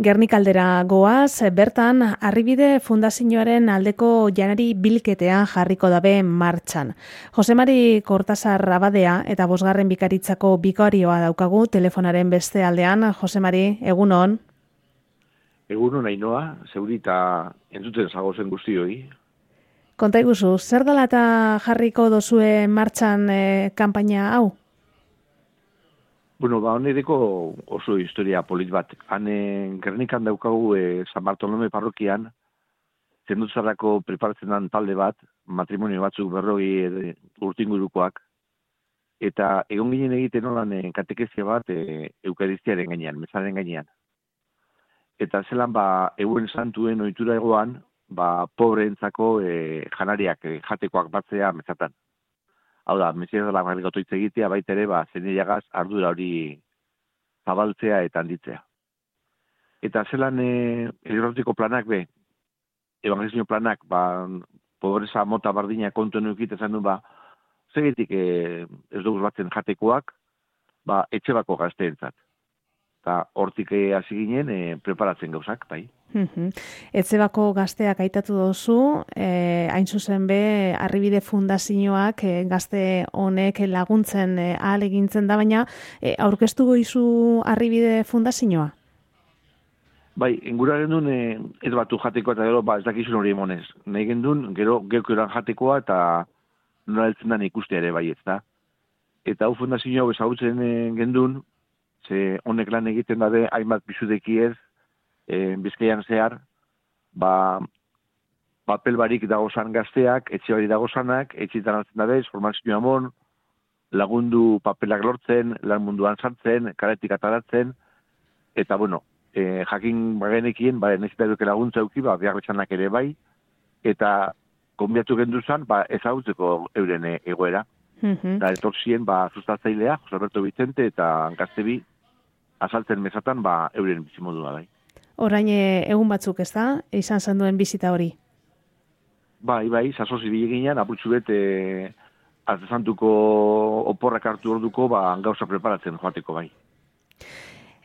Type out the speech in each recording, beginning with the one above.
Gernikaldera goaz, bertan Arribide Fundazioaren aldeko janari bilketea jarriko dabe martxan. Jose Mari Kortasar abadea eta 5. bikaritzako bikarioa daukagu telefonaren beste aldean. Jose Mari, egunon. Egunon Ainoa, zeuri eta entzuten zagozen guztioi. Konta iguzu, zer dela eta jarriko dozue martxan kanpaina hau? Bueno, honedeko oso historia polit bat. Han Gernikan daukagu San Bartolome parrokian, zendutzarako preparatzen den talde bat, matrimonio batzuk 40 urtingurukoak, eta egon ginen egiten holan katekezia bat eukaristiaren gainean, mezaren gainean. Eta zelan euen santuen ohitura egoan, pobreentzako janariak jatekoak batzea mezatan. Hau da, mesias dela garrikotoitz egitea, baita ere, zeneiagaz ardura hori zabaltzea eta handitzea. Eta zelan elirrotiko planak evangelizio planak, pobreza mota bardina kontuen eukite zen du, zegetik ez dugu batzen jatekoak, etxe bako gazteentzat. Eta hortik hasi ginen preparatzen gauzak, bai. Etzebako gazteak aitatu dozu, hain zuzen be, Arribide Fundazioak gazte honek laguntzen ahal egintzen da, baina aurkeztu goizu Arribide Fundazioa? Bai, ingura gendun ez batu jatekoa eta gero ez dakizun hori emonez. Nahi gendun, gero geukeran jatekoa eta nola heltzen den ikustea ere bai ez da. Eta hau fundazio hau ezagutzen gendun, ze honek lan egiten dabe hainbat bizudekiez, Bizkaian zehar, papel barik dagozan gazteak, etxe bari dagozanak, etxetan hartzen dabez, formazio amon, lagundu papelak lortzen, lan munduan sartzen, karetik ataratzen, eta jakin bagenekien, nezita duke laguntza euki, behar betxanak ere bai, eta konbiatu genduzan, ezagutzeko euren egoera. Da etorzien, sustatzailea, Jose Alberto Vicente eta Gaztebi, azaltzen mezatan, euren bizimodua bai. Orain egun batzuk ez da, izan zen duen bizita hori? Bai, zazoz ibili ginean, apurtxu bet, artezantuko oporrak hartu orduko, gauza preparatzen joateko bai.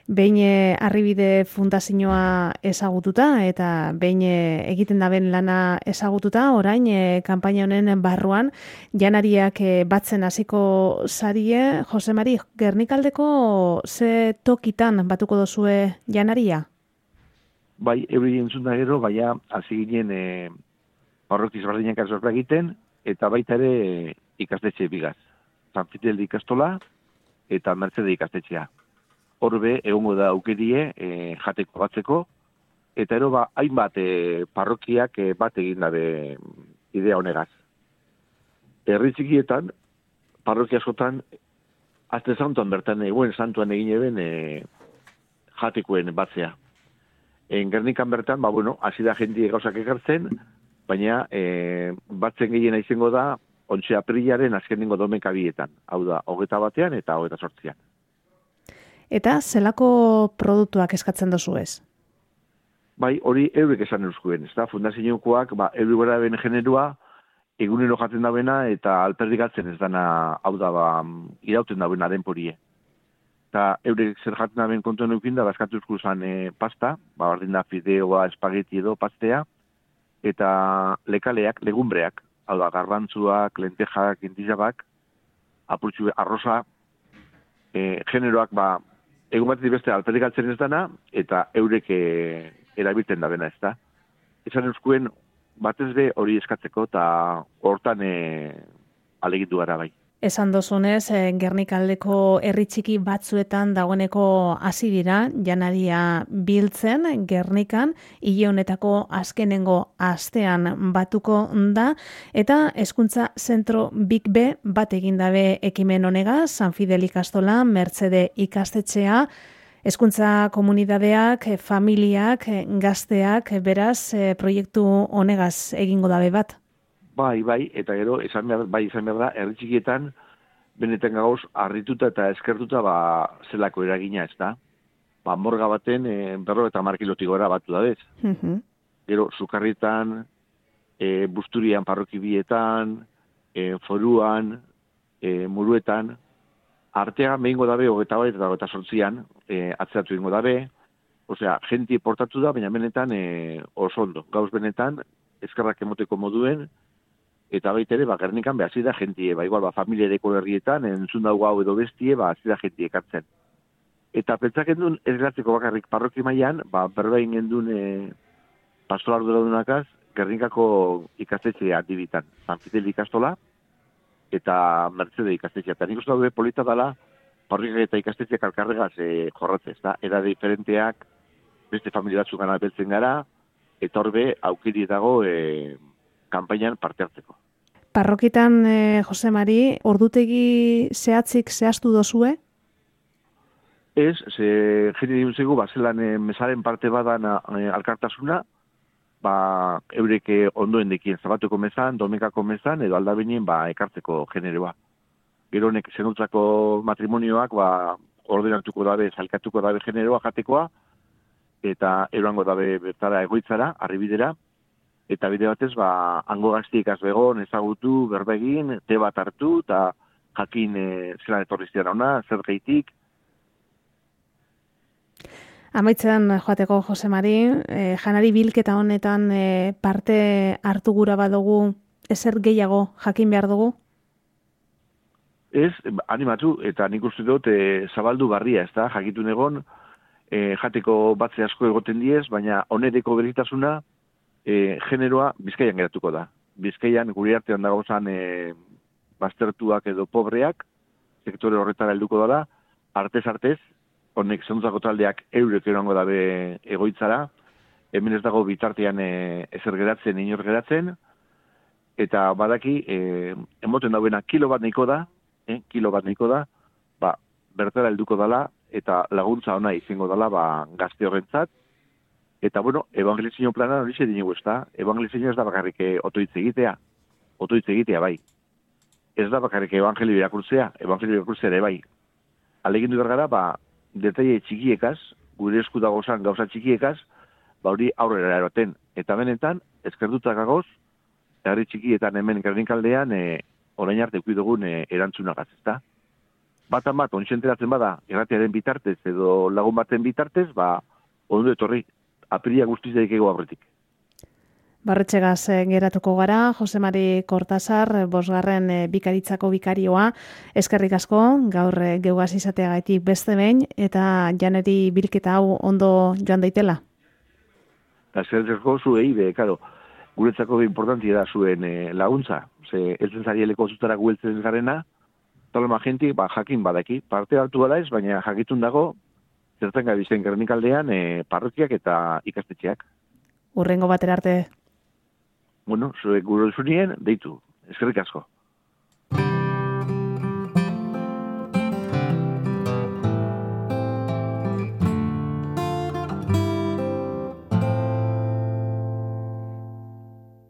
Behin Arribide Fundazioa ezagututa eta behin egiten daben lana ezagututa, orain kanpaina honen barruan janariak batzen hasiko zarie. Jose Mari, Gernikaldeko ze tokitan batuko dozue janaria? Bai, euri entzun da gero, hasi ginen parrokiz bardinak azorra egiten, eta baita ere ikastetxe bigaz. San Fidel ikastola eta Mercede ikastetxea. Horbe, egongo da aukerie jateko batzeko, eta ero hainbat parrokiak bat egin dabe idea honegaz. Herri txikietan, parrokia askotan, azte santuan bertan, eguen santuan egin eben jatekoen batzea. Gernikan bertan, hasi da jendia gauzak ekartzen, baina batzen gehiena izango da, 11 aprilaren azkenengo domekabietan. Hau da, 21 eta 28. Eta zelako produktuak eskatzen dozu ez? Bai, hori eurek esan euskuen. Ez da, fundaziokoak, eurek gara ben generua, egunero jaten dabena eta alperdikatzen ez dana, hau da, irauten dabena denporie. Eta eurek zer jaten daben kontuen eukin da, eskatu zan pasta, bardin da fideoa, espageti edo, pastea, eta lekaleak, legumbreak, hau da, garbantzuak, lentejak, intizabak, apurtxu arroza, generoak, egun bat beste alperdikatzen ez dana, eta eurek erabiltzen da bena ez da. Esan euskuen, batez be hori eskatzeko, eta hortan alegitu gara bai. Esan dozunez, Gernikaldeko herri txiki batzuetan dagoeneko hasi dira, janaria biltzen, Gernikan, hile honetako azkenengo astean batuko da, eta hezkuntza zentro Big B bat egin dabe ekimen honegaz, San Fidel ikastola, Mercede ikastetxea, hezkuntza komunitateak, familiak, gazteak, beraz, proiektu honegaz egingo dabe bat. Bai, eta gero, izan behar da, herri txikietan, benetan gauz, harrituta eta eskertuta, zelako eragina ez da. Morga baten, 50 kilotik gora batu da bez. Gero, Sukarrietan, Busturian, parrokibietan, Foruan, Muruetan, artean behingo dabe, 28 eta 28an, atzeratu ingo dabe, osea, jentie portatu da, baina benetan oso ondo. Gauz benetan, eskerrak emoteko moduen, eta baita ere, Gernikan behasi da jentie, igual, familiareko herrietan, entzun dago hau edo bestie, hasi da jentie ekartzen. Eta pentsak endun, ez geratzeko bakarrik parroki mailan, berbein endun pastoral duradunakaz, Gernikako ikastetxea dibitan. San Fidel ikastola, eta Mercede ikastetxea. Eta nik uste dago polita dela, parrokiak eta ikastetxeak alkarregaz jorratzez, da? Era diferenteak, beste familia batzuk gana beltzen gara, eta horbe aukiri dago kanpainan parte hartzeko. Parrokitan, Jose Mari, ordutegi zehatzik zehaztu dozue? Ez, jende diuntzegu, zelan mesaren parte badan alkartasuna, eurek ondoen dekien zabatuko mezan, domekako mezan, edo aldabinien ekartzeko generoa. Gero honek zenutzako matrimonioak ordenatuko dabe, zalkatuko dabe generoa jatekoa, eta eroango dabe bertara egoitzara, arribidera, eta bide batez, hango gaztiek azbegon, ezagutu, berbegin, te bat hartu, eta jakin zelan etorriztian ona, zer gaitik. Amaitzen joateko, Jose Mari, janari bilketa honetan parte hartu gura badugu, ezer gehiago jakin behar dugu? Ez, animatu, eta nik uste dut zabaldu barria, ez da, jakitun egon, jateko batze asko egoten diez, baina onereko beritasuna generoa Bizkaian geratuko da. Bizkaian gure artean dagozan baztertuak edo pobreak, sektore horretara helduko dara, artez, honek zentzako taldeak eurek erango dabe egoitzara, hemen ez dago bitartean ezer geratzen, inor geratzen, eta badaki, emoten dauena kilo bat nahiko da, bertara helduko dala, eta laguntza ona izango dala gazte horrentzat, eta evangelizio plana hori dinigu ez da, evangelizio ez da bakarrik otoitz egitea bai. Ez da bakarrik evangelio irakurtzea ere bai. Alegindu bergara, detaile txikiekaz, gure esku dagozan gauza txikiekaz, hori aurrera eroten. Eta benetan, eskerdutak gagoz, herri txikietan hemen Gernikaldean, orain arte dugun erantzunagaz, ezta? Batan bat, ontsenteratzen bada, erratearen bitartez edo lagun baten bitartez, ondo etorri, apiria guztiz daikego aurretik. Barretxegaz geratuko gara, Jose Mari Kortazar, 5. bikaritzako bikarioa, eskerrik asko, gaur geugaz izateagaitik beste behin, eta janeri bilketa hau ondo joan daitela. Eskerrik asko zuei, guretzako importantia da zuen laguntza, eltzen zarieleko zutara gueltzen garena, talema jenti, jakin badaki, parte hartu bada ez, baina jakitun dago, zertzen gabizen Gernikaldean parrokiak eta ikastetxeak. Urrengo batera arte. Zuek gure zunien, deitu. Eskerrik asko.